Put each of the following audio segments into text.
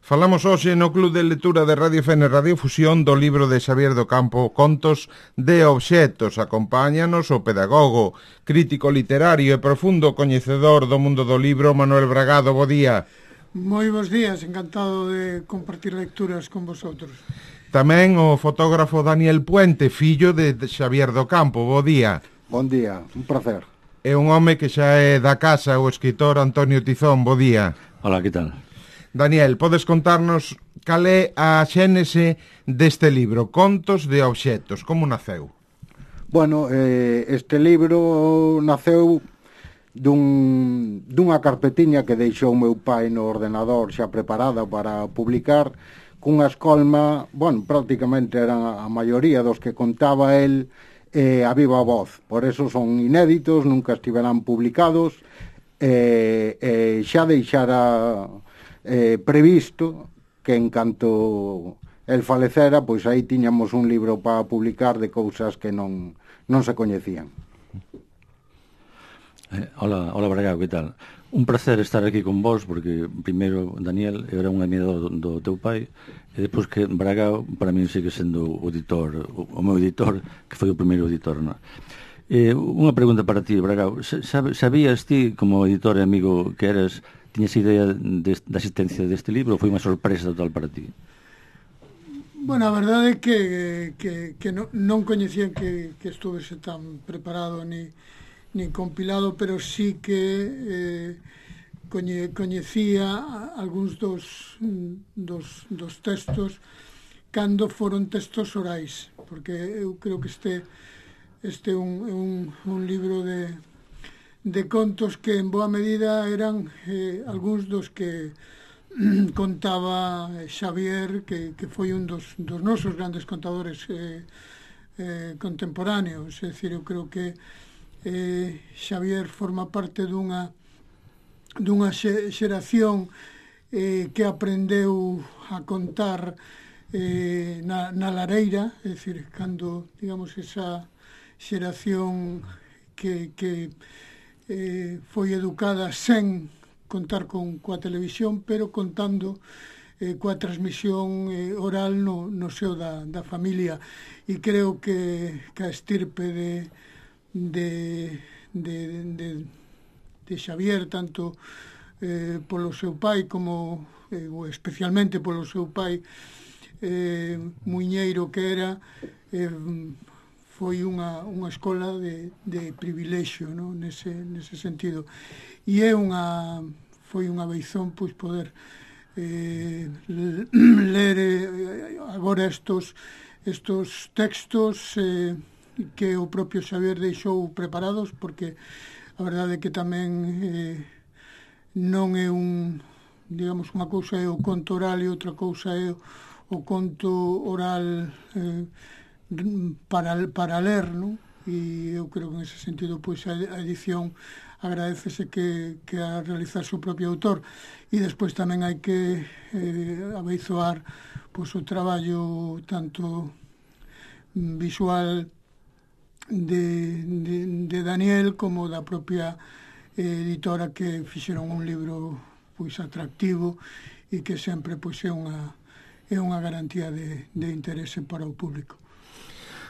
Falamos hoxe no Club de Lectura de Radio Fene Radiofusión do libro de Xavier do Campo, Contos de Obxectos. Acompáñanos o pedagogo, crítico literario e profundo coñecedor do mundo do libro, Manuel Bragado. Bo día. Moi bons días, encantado de compartir lecturas con vosotros. Tamén o fotógrafo Daniel Puente, fillo de Xavier do Campo. Bo día. Bon día, un placer. É un home que xa é da casa, o escritor Antonio Tizón. Bo día. Hola, que tal? Daniel, podes contarnos cal é a xénese deste libro, Contos de Obxectos, como naceu? Bueno, este libro naceu dunha carpetiña que deixou meu pai no ordenador xa preparada para publicar, cunha escolma, bueno, prácticamente eran a maioría dos que contaba el a viva voz, por eso son inéditos, nunca estiverán publicados, xa deixara previsto que en canto el falecera, pois aí tiñamos un libro para publicar de cousas que non se coñecían. Hola Bragado, que tal? Un placer estar aquí con vos, porque primeiro, Daniel, era un admirador do teu pai, e depois que Bragado, para mí, sigue sendo o editor, o meu editor, que foi o primeiro editor, non? Unha pregunta para ti, Bragado. Sabías ti, como editor e amigo que eras, tiñas idea da existencia deste libro ou foi unha sorpresa total para ti? Bueno, a verdade é que non coñecía que estuvese tan preparado ni compilado, pero sí que coñecía algúns dos textos cando foron textos orais, porque eu creo que este é un libro de contos que en boa medida eran algúns dos que contaba Xavier, que foi un dos nosos grandes contadores contemporáneos. É dicir, eu creo que Xavier forma parte dunha xeración que aprendeu a contar na lareira, é dicir, cando, digamos, esa xeración que foi educada sen contar coa televisión, pero contando coa transmisión oral no seo da familia. E creo que a estirpe de Xavier, tanto polo seu pai como especialmente polo seu pai muiñeiro que era, foi unha escola de privilexio, non? Nese sentido. E foi unha beizón pois poder ler agora estos textos que o propio Xavier deixou preparados, porque a verdade é que tamén non é digamos, unha cousa é o conto oral e outra cousa é o conto oral para ler, non? E eu creo que en ese sentido pois a edición agradecese que a realizarse o propio autor, e despois tamén hai que abeizoar pois o traballo tanto visual de Daniel como da propia editora, que fixeron un libro pois atractivo e que sempre pois é unha garantía de interese para o público.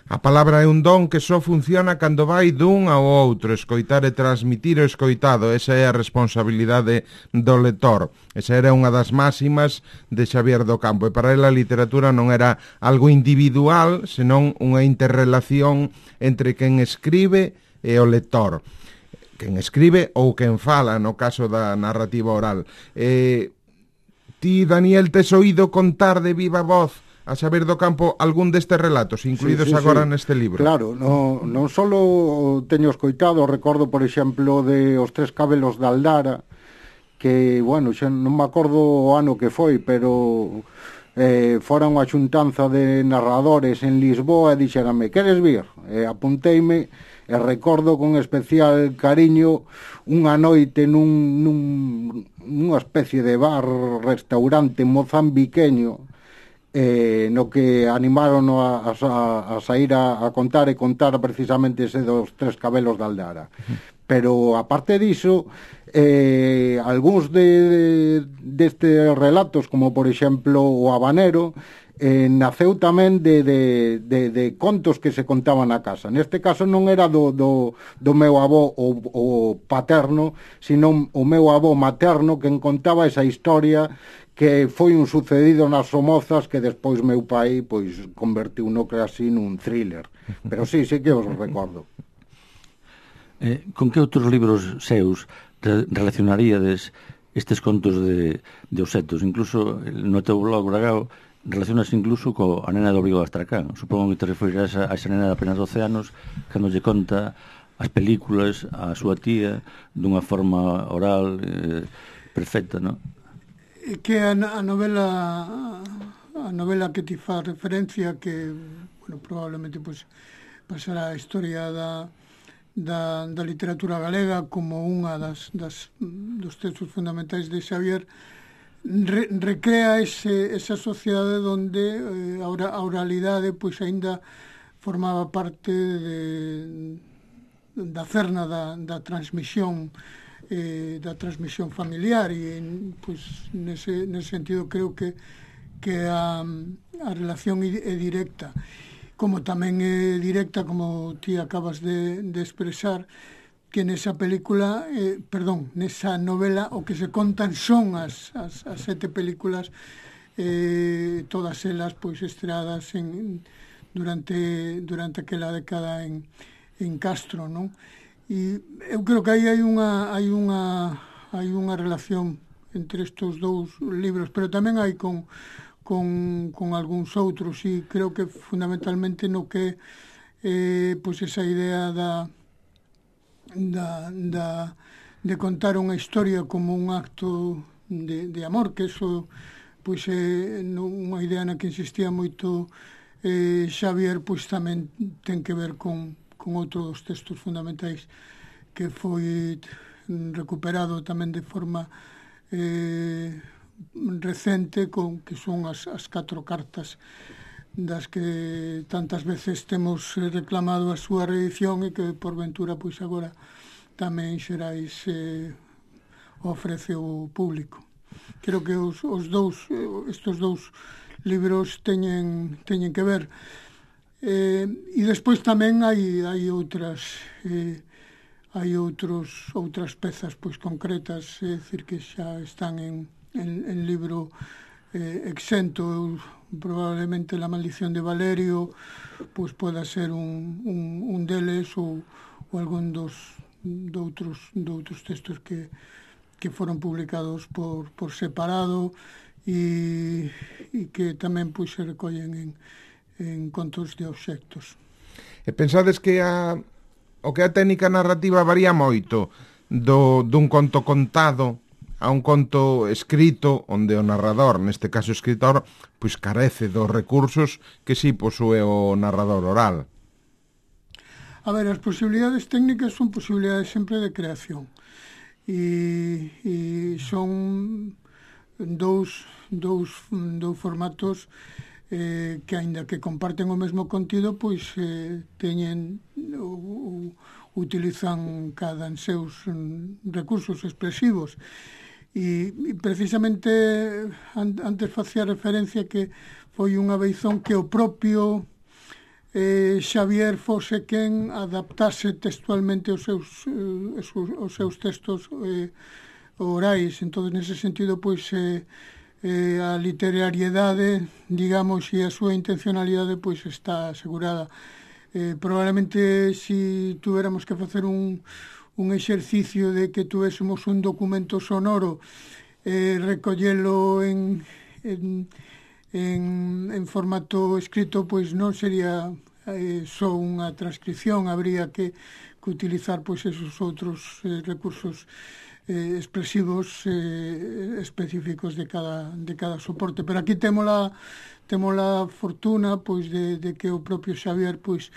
A palabra é un don que só funciona cando vai dun ao outro. Escoitar e transmitir o escoitado, esa é a responsabilidade do lector. Esa era unha das máximas de Xavier do Campo, e para ele a literatura non era algo individual, senón unha interrelación entre quen escribe e o lector. Quen escribe ou quen fala, no caso da narrativa oral. Ti, Daniel, tes oído contar de viva voz a Xavier do Campo algún destes relatos incluídos agora neste libro? Claro, non só teño escoitado, recordo, por exemplo, de Os Tres Cabelos de Aldara, que, bueno, xa non me acordo o ano que foi, pero fora unha xuntanza de narradores en Lisboa e dixérame, queres vir? Apunteime e recordo con especial cariño unha noite nunha especie de bar, restaurante mozambiqueño, no que animaron a sair a contar e contar precisamente ese dos Tres Cabelos de Aldara. Pero, aparte diso, algúns destes relatos, como, por exemplo, o Habanero, naceu tamén de contos que se contaban na casa. Neste caso non era do meu avó o paterno, sino o meu avó materno, que contaba esa historia que foi un sucedido nas Somozas que despois meu pai pois convertiu no casi nun thriller. Pero sí que os recordo. Con que outros libros seus relacionaríades estes contos de obxectos? Incluso no teu blog, Bragao, relacionas incluso co a nena do Obrigo de Astracán. Supongo que te referirás a esa nena de apenas 12 anos cando lle conta as películas a súa tía dunha forma oral perfecta, non? Que a novela que ti fa referencia, que, bueno, probablemente pues, pasará a historia da literatura galega como unha dos textos fundamentais de Xavier, recrea esa sociedade onde a oralidade pois aínda formaba parte da cerna da transmisión familiar, e pois nese sentido creo que a relación é directa, como tamén é directa, como ti acabas de expresar, que nesa película, nesa novela, o que se contan son as 7 películas, todas elas pois estreadas durante aquela década en Castro, non? E eu creo que aí hai unha relación entre estes dous libros, pero tamén hai con algúns outros, e creo que fundamentalmente no que pois esa idea de contar unha historia como un acto de amor, que eso pois é unha idea na que insistía moito Xavier, pois tamén ten que ver con outro dos textos fundamentais que foi recuperado tamén de forma recente, que son as 4 cartas das que tantas veces temos reclamado a súa reedición, e que por ventura pois agora tamén Xerais ofrece ao público. Creo que estes dous libros teñen que ver. E despois tamén hai outras pezas pois concretas, é dicir, que xa están en libro exento. Probablemente La maldición de Valerio pois poda ser un deles, ou algún doutros textos que foron publicados por separado, e que tamén pois se recollen en contos de obxectos. E pensades que a técnica narrativa varía moito dun conto contado a un conto escrito, onde o narrador, neste caso o escritor, pois carece dos recursos que si posúe o narrador oral? A ver, as posibilidades técnicas son posibilidades sempre de creación, e son dous formatos que, aínda que comparten o mesmo contido, pois teñen utilizan cada en seus recursos expresivos. E precisamente antes facía referencia que foi unha beizón que o propio Xavier fose quen adaptase textualmente os seus textos orais. Entón, nese sentido, pois a literariedade, digamos, e a súa intencionalidade pois está asegurada. Probablemente, se tuéramos que facer un exercicio de que tuésemos un documento sonoro, recollelo en formato escrito, pois non sería só unha transcripción, habría que utilizar pois esos outros recursos expresivos específicos de cada soporte. Pero aquí temos a fortuna pois de que o propio Xavier pois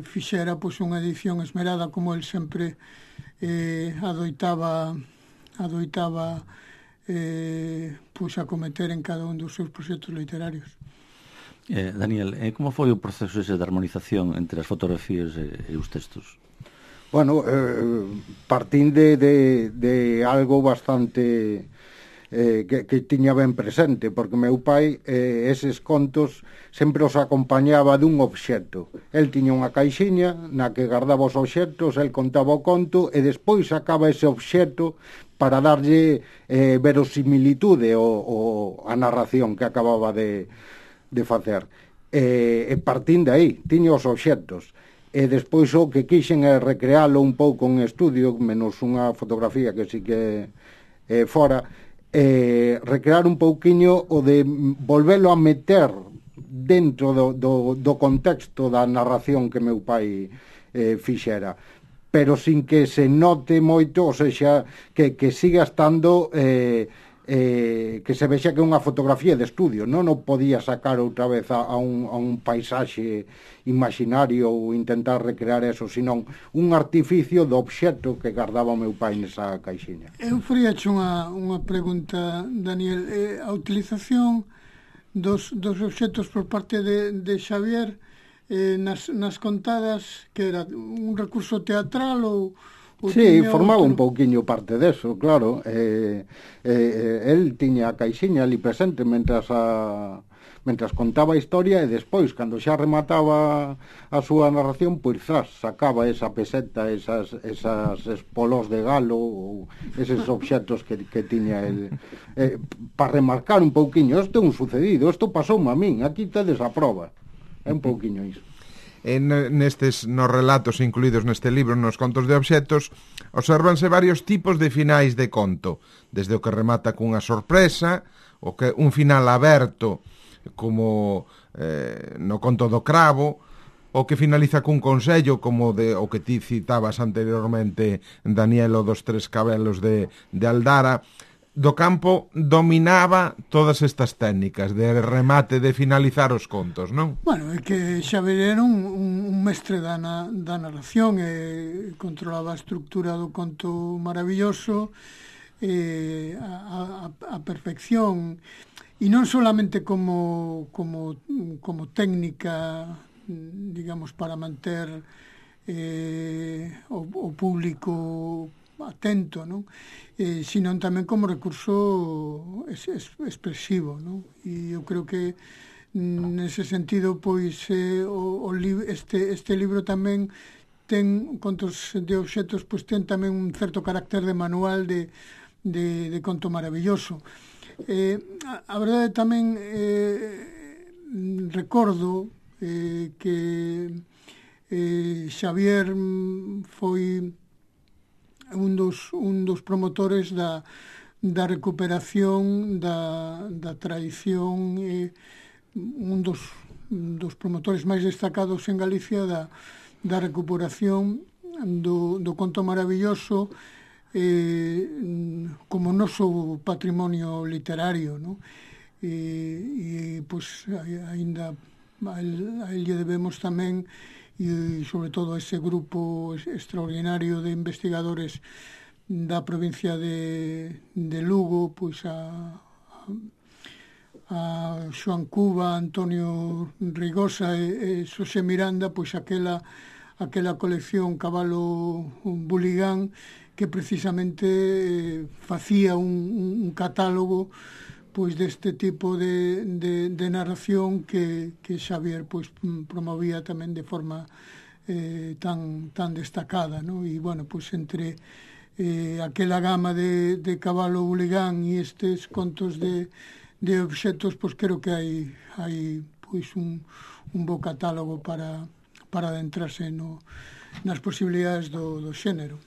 fixera pois unha edición esmerada, como el sempre adoitaba pois acometer en cada un dos seus proxectos literarios. Daniel, como foi o proceso ese de armonización entre as fotografías e os textos? Bueno, partín de algo bastante que tiña ben presente, porque meu pai eses contos sempre os acompañaba dun obxecto. El tiña unha caixiña na que guardaba os obxectos, el contaba o conto e despois sacaba ese obxecto para darlle verosimilitude a narración que acababa de facer. E partín de aí, tiña os obxectos. E despois o que quixen é recrealo un pouco en estudio, menos unha fotografía que sí que fora, recrear un pouquiño o de volvelo a meter dentro do contexto da narración que meu pai fixera, pero sin que se note moito, ou seja, que siga estando que se vexa que é unha fotografía de estudio, non o podía sacar outra vez a un paisaxe imaginario ou intentar recrear eso, senón un artificio do obxecto que guardaba o meu pai nesa caixiña. Eu faríache unha pregunta, Daniel. A utilización dos obxectos por parte de Xavier nas contadas, que era un recurso teatral ou sí, formaba un pouquiño parte deso, claro. El tiña a caixiña ali presente mentras contaba a historia, e despois, cando xa remataba a súa narración, pois sacaba esa peseta, esas polos de galo ou eses obxectos que tiña el, para remarcar un pouquiño, isto é un sucedido, isto pasoume a min, aquí tedes a prova. É un pouquiño iso. Nos relatos incluídos neste libro, nos contos de obxectos, observanse varios tipos de finais de conto, desde o que remata cunha sorpresa, o que un final aberto, como no conto do cravo, o que finaliza cun consello, como o que ti citabas anteriormente, Daniel, o dos tres cabelos de Aldara. Do Campo dominaba todas estas técnicas de remate, de finalizar os contos, non? Bueno, é que Xavier era un mestre da narración, e controlaba a estructura do conto maravilloso, a perfección, e non solamente como técnica, digamos, para manter o público atento, non? Sino tamén como recurso expresivo, non? E eu creo que nese sentido, pois este libro tamén ten contos de obxectos, pois ten tamén un certo carácter de manual de conto maravilloso. A verdade tamén recordo que Xavier foi un dos promotores da recuperación da tradición, un dos promotores máis destacados en Galicia da recuperación do conto maravilloso como noso patrimonio literario, non? E pois aínda a el lle debemos tamén, e sobre todo ese grupo extraordinario de investigadores da provincia de Lugo, pois a Xoan Cuba, Antonio Rigosa e Xosé Miranda, pois aquela colección Cabalo Buligán, que precisamente facía un catálogo pois deste tipo de narración que Xavier pois promovía tamén de forma tan destacada, ¿no? E bueno, pois entre aquela gama de Cabalo Buligán e estes contos de obxectos, pois creo que hai pois un bo catálogo para adentrarse nas posibilidades do xénero.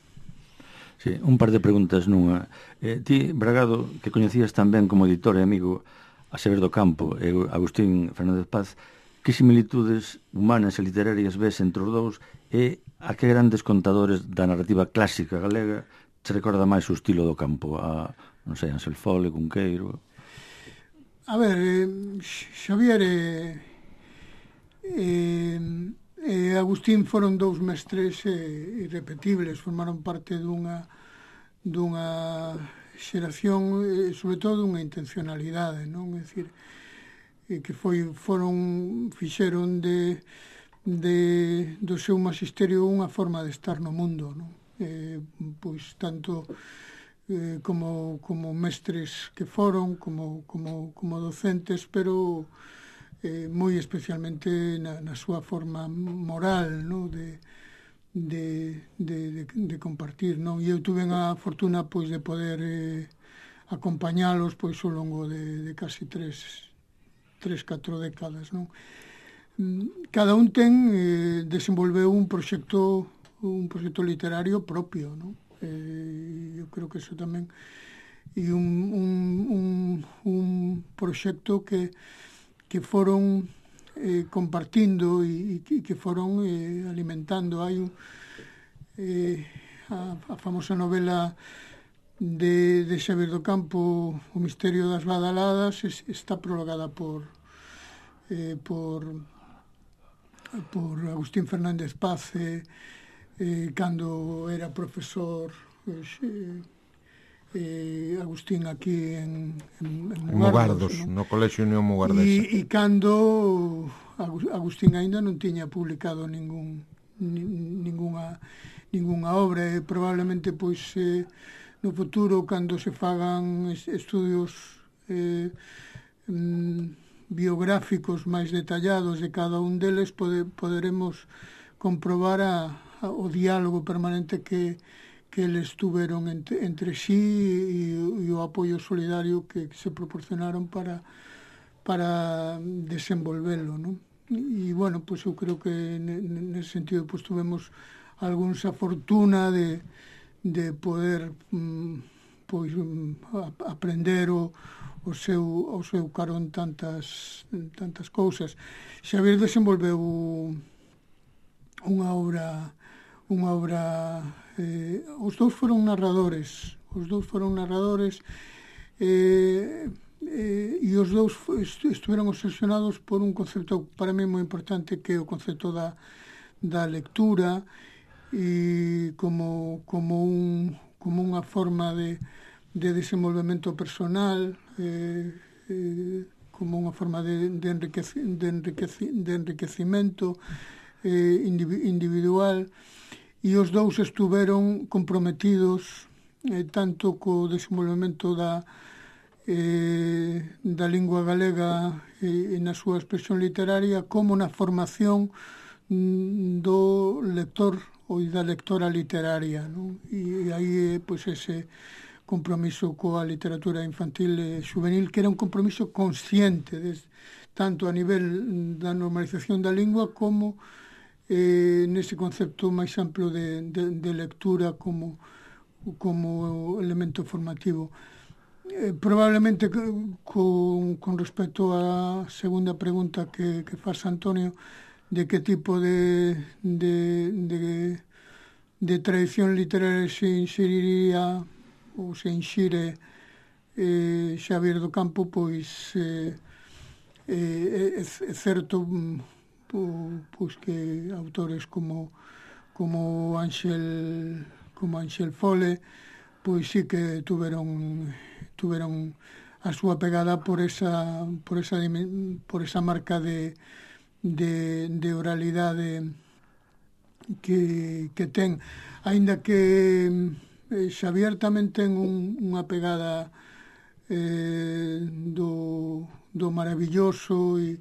Sí, un par de preguntas nunha. Ti, Bragado, que coñecías tamén como editor e amigo a Xavier do Campo e Agustín Fernández Paz, que similitudes humanas e literarias ves entre os dous, e a que grandes contadores da narrativa clásica galega te recorda máis o estilo do Campo? A, non sei, Ansel Fole, Cunqueiro? A ver, Xavier e Agustín foron dous mestres irrepetibles, formaron parte dunha xeración, sobre todo dunha intencionalidade, non? É dicir, que fixeron do seu magisterio unha forma de estar no mundo, non? Pois tanto como mestres que foron, como docentes, pero moi especialmente na súa forma moral, non? De compartir, non? E eu tuve a fortuna pois de poder acompañalos pois ao longo de casi 3-4 décadas, non? Cada un desenvolveu un proxecto literario propio, non? Eu creo que eso tamén e un proxecto que foron compartindo e que foron alimentando. Hai a famosa novela de Xavier do Campo, O misterio das badaladas, está prologada por Agustín Fernández Paz, cando era profesor Agustín aquí en Mugardos, no Colexio Unión Mugardesa. E cando Agustín aínda non tiña publicado ningunha obra, e probablemente pois no futuro, cando se fagan estudios biográficos máis detallados de cada un deles, poderemos comprobar o diálogo permanente que eles tuveron entre sí e o apoio solidario que se proporcionaron para desenvolverlo, non? E, bueno, pois eu creo que nese sentido pois tuvemos algunha fortuna de poder aprender o seu carón tantas cousas. Xavier desenvolveu unha obra os dous foron narradores e os dous estiveron obsesionados por un concepto para mí moi importante, que é o concepto da lectura, e como unha forma de desenvolvemento personal, como unha forma de enriquecimento individual. E os dous estiveron comprometidos tanto co desenvolvemento da lingua galega e na súa expresión literaria, como na formación do lector ou da lectora literaria, non? E aí pois ese compromiso coa literatura infantil e juvenil, que era un compromiso consciente tanto a nivel da normalización da lingua como nese concepto máis amplo de lectura como elemento formativo. Probablemente con respecto á segunda pregunta que faz Antonio, de que tipo de tradición literaria se inseriría ou se inxire Xavier do Campo, pois é certo pois que autores como Ángel Fole pois sí que tuveron a súa pegada por esa marca de oralidade que ten, aínda que Xavier tamén ten unha pegada do maravilloso e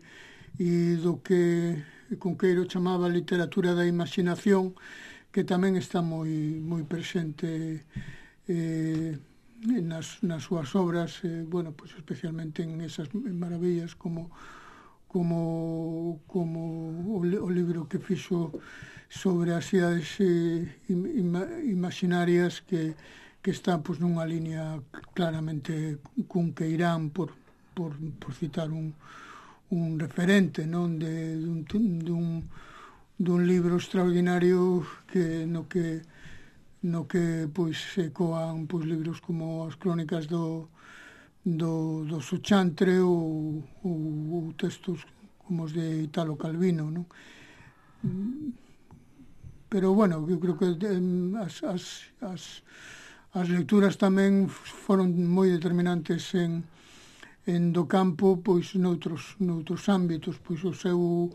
do que Cunqueiro chamaba literatura da imaginación, que tamén está moi presente nas súas obras, bueno, pues especialmente en esas maravillas como o libro que fixo sobre as cidades imaginarias, que está pues nunha línea claramente cunqueirán, por citar un referente, non, dun libro extraordinario no que pois se coan pois libros como as crónicas do Sochantre ou textos como os de Italo Calvino, non? Pero bueno, eu creo que as lecturas tamén foron moi determinantes en do Campo, pois noutros ámbitos, pois o seu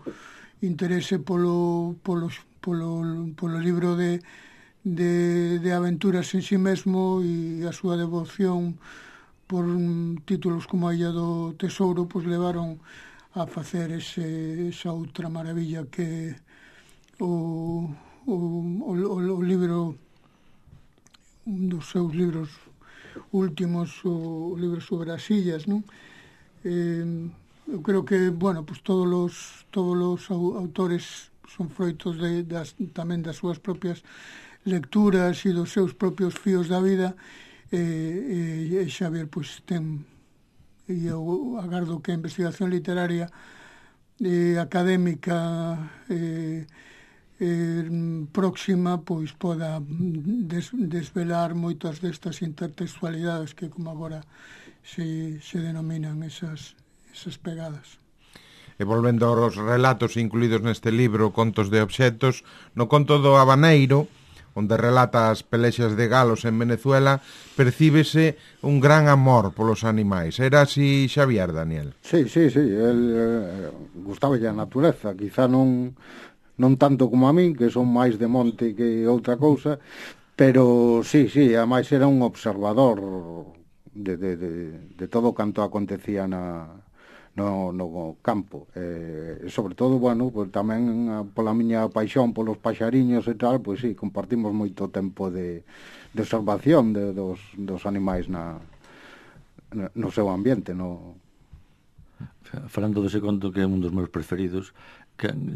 interese polo libro de aventuras en si mesmo e a súa devoción por títulos como a Illa do Tesouro, pois levaron a facer esa outra maravilla que o libro, un dos seus libros últimos, o libro sobre as illas, non? Eu creo que, bueno, pues todos os autores son froitos tamén das súas propias lecturas e dos seus propios fíos da vida, e Xavier, pues, e eu agardo que a investigación literaria académica próxima, pois, poda desvelar moitas destas intertextualidades que, como agora se denominan esas pegadas. E volvendo aos relatos incluídos neste libro, Contos de obxetos, no conto do Habaneiro, onde relata as pelexas de galos en Venezuela, percíbese un gran amor polos animais. Era así, Xavier, Daniel? Sí, el gustaballe a natureza, quizá non tanto como a min, que son máis de monte que outra cousa, pero sí, ademais era un observador de todo canto acontecía no campo, sobre todo, bueno, pues tamén pola miña paixón polos paxariños e tal, pois sí, compartimos moito tempo de observación dos animais no seu ambiente, Falando dese conto, que é un dos meus preferidos,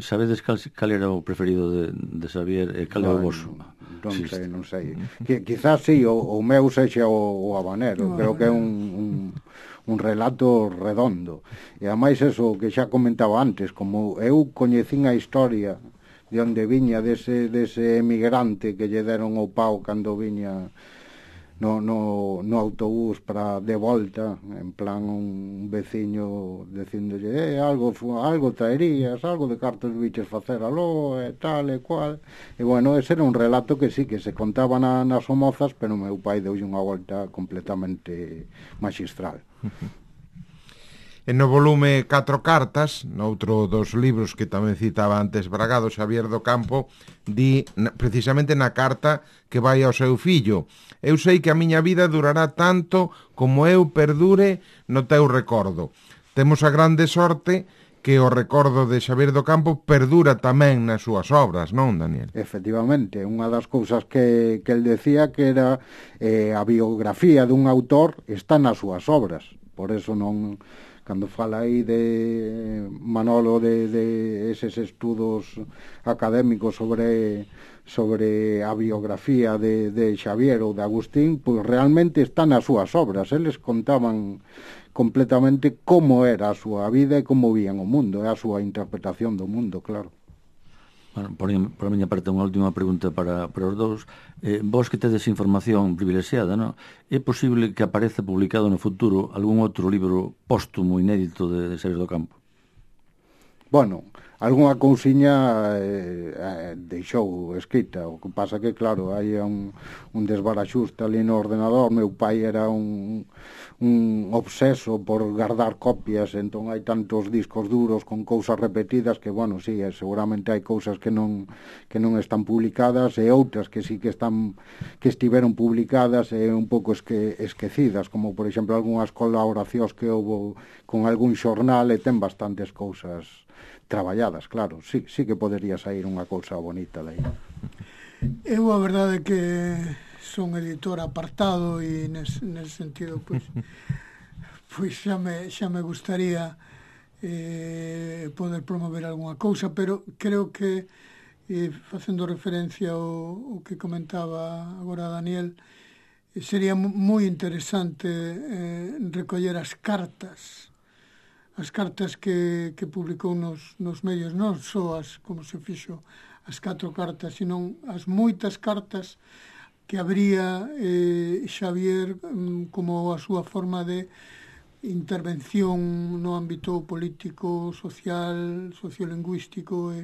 sabedes cal era o preferido de Xavier e cal é o voso? Non sei. Quizás sí, o meu sexa o Habanero, creo que é un relato redondo. E ademais eso que xa comentaba antes, como eu coñecín a historia de onde viña dese emigrante que lle deron o pau cando viña no autobús para de volta, en plan un veciño dicíndolle algo traerías, algo de cartos biches facer aló, e tal e cual. E bueno, ese era un relato que sí, que se contaba nas Somozas, pero meu pai deulle unha volta completamente magistral. E no volume 4 cartas, noutro dos libros que tamén citaba antes Bragado, Xavier do Campo, di precisamente na carta que vai ao seu fillo: eu sei que a miña vida durará tanto como eu perdure no teu recordo. Temos a grande sorte que o recordo de Xavier do Campo perdura tamén nas súas obras, non, Daniel? Efectivamente, unha das cousas que el decía que era a biografía dun autor está nas súas obras. Por eso non... Cando fala aí de Manolo de eses estudos académicos sobre a biografía de Xavier ou de Agustín, pois realmente están nas súas obras. Eles contaban completamente como era a súa vida e como vían o mundo, a súa interpretación do mundo, claro. Bueno, por a miña parte, unha última pregunta para os dous. Vos que tedes información privilexiada, non? É posible que apareza publicado no futuro algún outro libro póstumo inédito de Xavier do Campo? Bueno, algunha cousiña deixou escrita. O que pasa que, claro, hai un desbaraxuste ali no ordenador. Meu pai era un obseso por guardar copias, entón hai tantos discos duros con cousas repetidas que, bueno, sí, seguramente hai cousas que non están publicadas e outras que sí que estiveron publicadas e un pouco esquecidas, como, por exemplo, algunhas colaboracións que houve con algún xornal, e ten bastantes cousas traballadas, claro. Sí que podería sair unha cousa bonita de aí. Eu, a verdade, que son editor apartado e nese sentido, pois xa me gustaría poder promover algunha cousa, pero creo que, facendo referencia ao que comentaba agora Daniel, sería moi interesante recoller as cartas que publicou nos medios, non só como se fixo as 4 cartas, sino as moitas cartas que habría Xavier como a súa forma de intervención no ámbito político, social, sociolingüístico.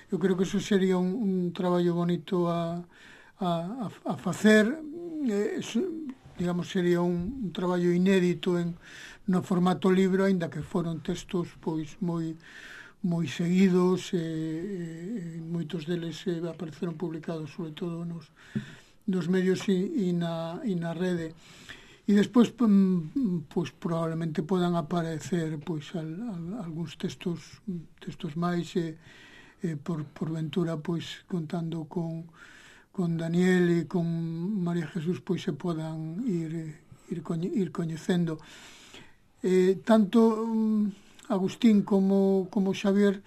Eu creo que eso sería un traballo bonito a facer. Digamos, sería un traballo inédito no formato libro, aínda que foron textos pois moi moi seguidos, moitos deles apareceron publicados sobre todo nos medios e na rede. E despois, pois, probablemente podan aparecer pois, algúns textos máis, por ventura, pois, contando con Daniel e con María Jesús, pois se podan ir coñecendo. Tanto Agustín como Xavier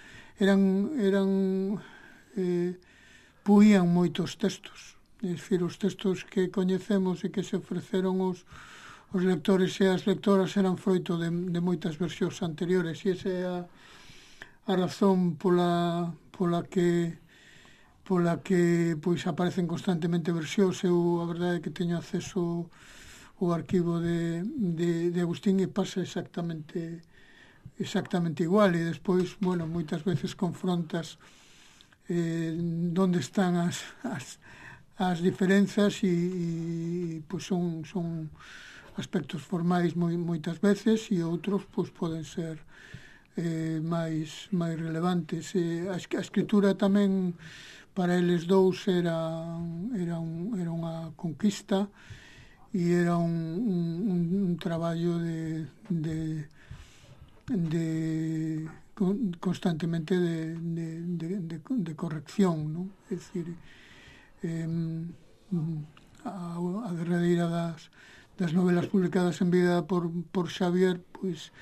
puían moitos textos. É dicir, os textos que coñecemos e que se ofreceron os lectores e as lectoras eran froito de moitas versións anteriores, e esa é a razón pola que pois aparecen constantemente versións. Eu a verdade é que teño acceso ao arquivo de Agustín e pasa exactamente igual, e despois, bueno, moitas veces confrontas onde están as diferenzas e pois son aspectos formais moitas veces, e outros pois poden ser máis relevantes. A escritura tamén para eles dous era unha conquista e era un traballo de constantemente de corrección, non? É dicir, a derradeira das novelas publicadas en vida por Xavier, pois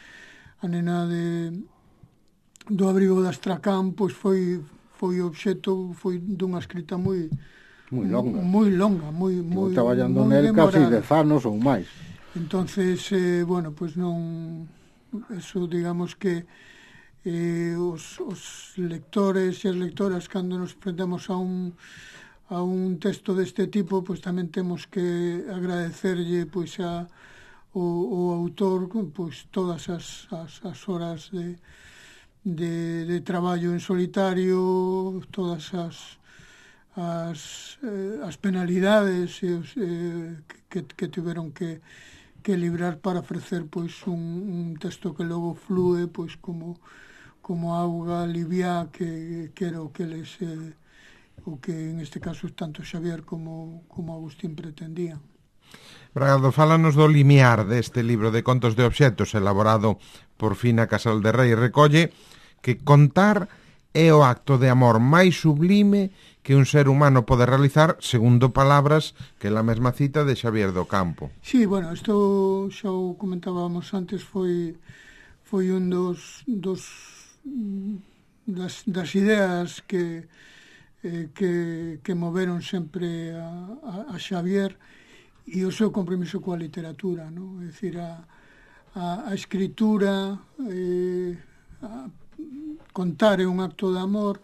a nena do abrigo de Astracán, pois foi obxecto dunha escrita moi longa, moi traballando nel casi 10 anos ou máis. Entonces, bueno, pois non, eso digamos que os lectores e as lectoras, cando nos enfrentamos a un texto deste tipo, pois tamén temos que agradecerlle pois o autor pois todas as horas de traballo en solitario, todas as penalidades que tiveron que librar para ofrecer pois un texto que logo flúe pois como auga liviá, que era o que les o que en este caso tanto Xavier como Agustín pretendían. Bragado, fálanos do limiar deste libro de contos de obxectos elaborado por Fina Casal de Rei. Recolle que contar é o acto de amor máis sublime que un ser humano pode realizar, segundo palabras que la mesma cita de Xavier do Campo. Sí, bueno, isto xa o comentábamos antes, foi un das ideas que moveron sempre a Xavier e o seu compromiso coa literatura, non? É dicir, a escritura, contar é un acto de amor,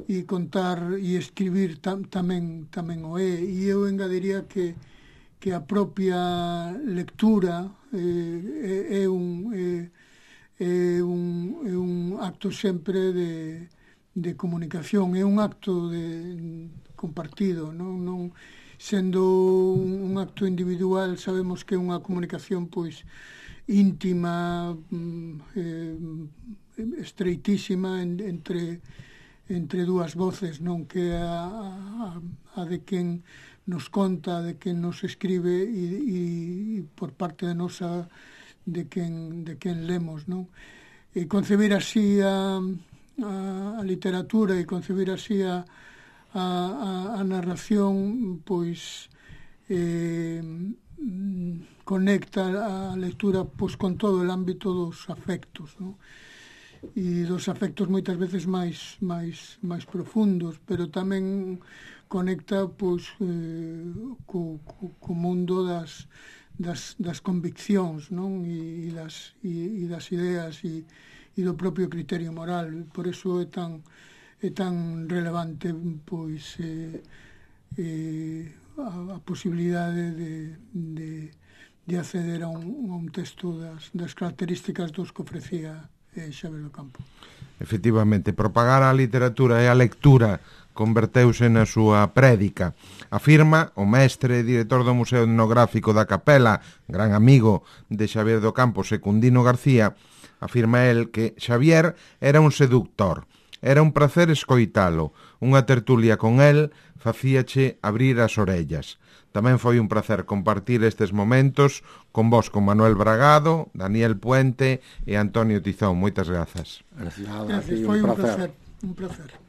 e contar e escribir tamén o é, e eu engadiría que a propia lectura é un acto sempre de comunicación, é un acto compartido, non sendo un acto individual, sabemos que é unha comunicación pois íntima, estreitísima entre dúas voces, non, que a de quen nos conta, de quen nos escribe e por parte de nosa de quen lemos, non? E concebir así a literatura e concebir así a narración, pois conecta a lectura pois con todo o ámbito dos afectos, non? E dos afectos moitas veces máis profundos, pero tamén conecta pois co mundo das conviccións, non? E das ideas e do propio criterio moral. Por eso é tan relevante pois a posibilidade de acceder a un texto das características dos que ofrecía Xavier do Campo. Efectivamente, propagar a literatura e a lectura converteuse na súa prédica. Afirma o mestre e director do Museo Etnográfico da Capela, gran amigo de Xavier do Campo, Secundino García, afirma el que Xavier era un seductor. Era un placer escoitalo. Unha tertulia con el facíache abrir as orellas. Tamén foi un placer compartir estes momentos con vos, con Manuel Bragado, Daniel Puente e Antonio Tizón. Moitas grazas. Gracias, Gracias, foi un placer.